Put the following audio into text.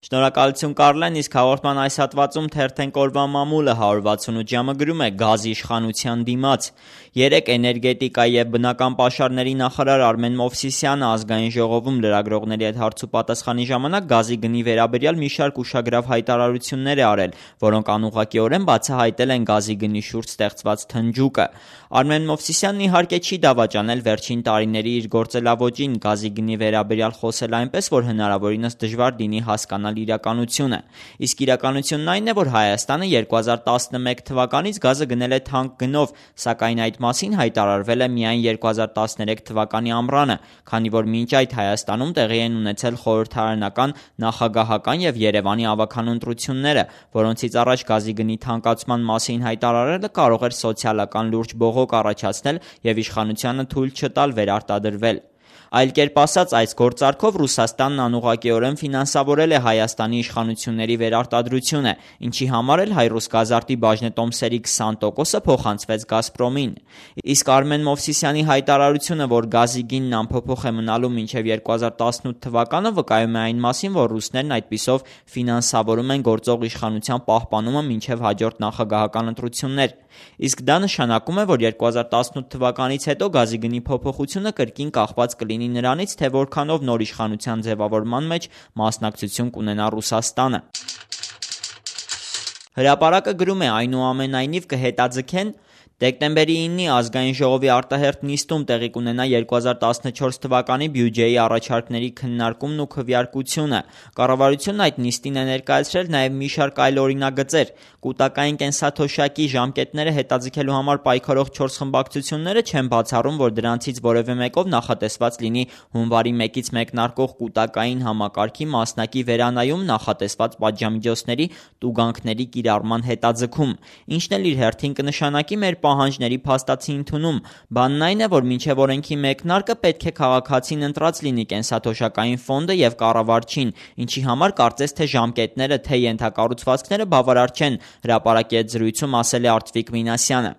Շնորհակալություն Կարլեն, իսկ հաղորդման այս հատվածում թերթենք օրվա մամուլը 168 ժամը գրում է գազի իշխանության դիմաց։ Երեկ էներգետիկայի և բնական պաշարների նախարար Արմեն Մովսիսյանը ազգային ժողովում լրագրողների հետ հարց ու պատասխանի ժամանակ գազի գնի վերաբերյալ մի շարք ուշագրավ հայտարարություններ է արել, որոնք անուղղակիորեն բացահայտել են գազի գնի շուրջ ստեղծված թնջուկը։ Արմեն Մովսիսյանն իհարկե չի դավաճանել վերջին տարիների իր գործելավոճին գազի գնի վերաբերյալ խոսել այնպես, որ հնարավորինս դժվար լինի հասկանալ իրականությունը։ Իսկ իրականությունն այն է, որ Հայաստանը 2011 թվականից գազը գնել է թանկ գնով, սակայն այդ մասին հայտարարվել է միայն 2013 թվականի ամռանը, քանի որ մինչ այդ Հայաստանում տեղի են ունեցել խորհրդարանական, նախագահական և Երևանի ավագանու ընտրությունները, որոնցից առաջ գազի գնի թանկացման մասին հայտարարելը կարող էր սոցիալական լուրջ բողոք առաջացնել և իշխանությանը թույլ չտալ վերարտադրվել։ Այլ կերպ ասած, այս գործարքով Ռուսաստանն անուղղակիորեն ֆինանսավորել է Հայաստանի իշխանությունների վերարտադրությունը, ինչի համար էլ Հայրուսգազարտի բաժնետոմսերի 20%-ը փոխանցվեց Գազպրոմին։ Իսկ Արմեն Մովսիսյանի հայտարարությունը, որ գազի գինն անփոփոխ է մնալու մինչև 2018 թվականը, վկայում է այն մասին, որ ռուսներն այդպիսով ֆինանսավորում են գործող իշխանության պահպանումը մինչև հաջորդ նախագահական ընտրություններ։ Իսկ դա նշանակում է, որ 2018 թվականից հետո գազի գնի փոփոխությունը կրկին կախված կլինի նրանից, թե որքանով նոր իշխանության ձևավորման մեջ մասնակցություն կունենա Ռուսաստանը։ Հրապարակը գրում է. այնուամենայնիվ կհետաձգեն Դեկտեմբերի 9-ի ազգային ժողովի արտահերթ նիստում տեղի կունենա 2014 թվականի բյուջեի առաջարկների քննարկումն ու քվեարկությունը։ Կառավարությունն այդ նիստին է ներկայացրել նաև մի շարք այլ օրինագծեր։ Կուտակային կենսաթոշակի ժամկետները հետաձգելու համար պայքարող 4 խմբակցությունները չեն բացառում, որ դրանցից որևէ մեկով նախատեսված լինի հունվարի 1-ից մեկնարկող կուտակային համակարգի մասնակի վերանայում նախատեսված պատժամիջոցների տուգանքների կիրառման հետաձգում, ինչն էլ իր հերթին կնշանակի մեր պահանջների փաստացի ընդունում։ Բանն այն է, որ մինչև օրենքի մեկնարկը պետք է քաղաքացին ընտրած լինի կենսաթոշակային ֆոնդը և կառավարչին, ինչի համար կարծես թե ժամկետները, թե ենթակառուցվածքները բավարար չեն, հրապարակի հետ զրույցում ասել է Արծվիկ Մինասյանը։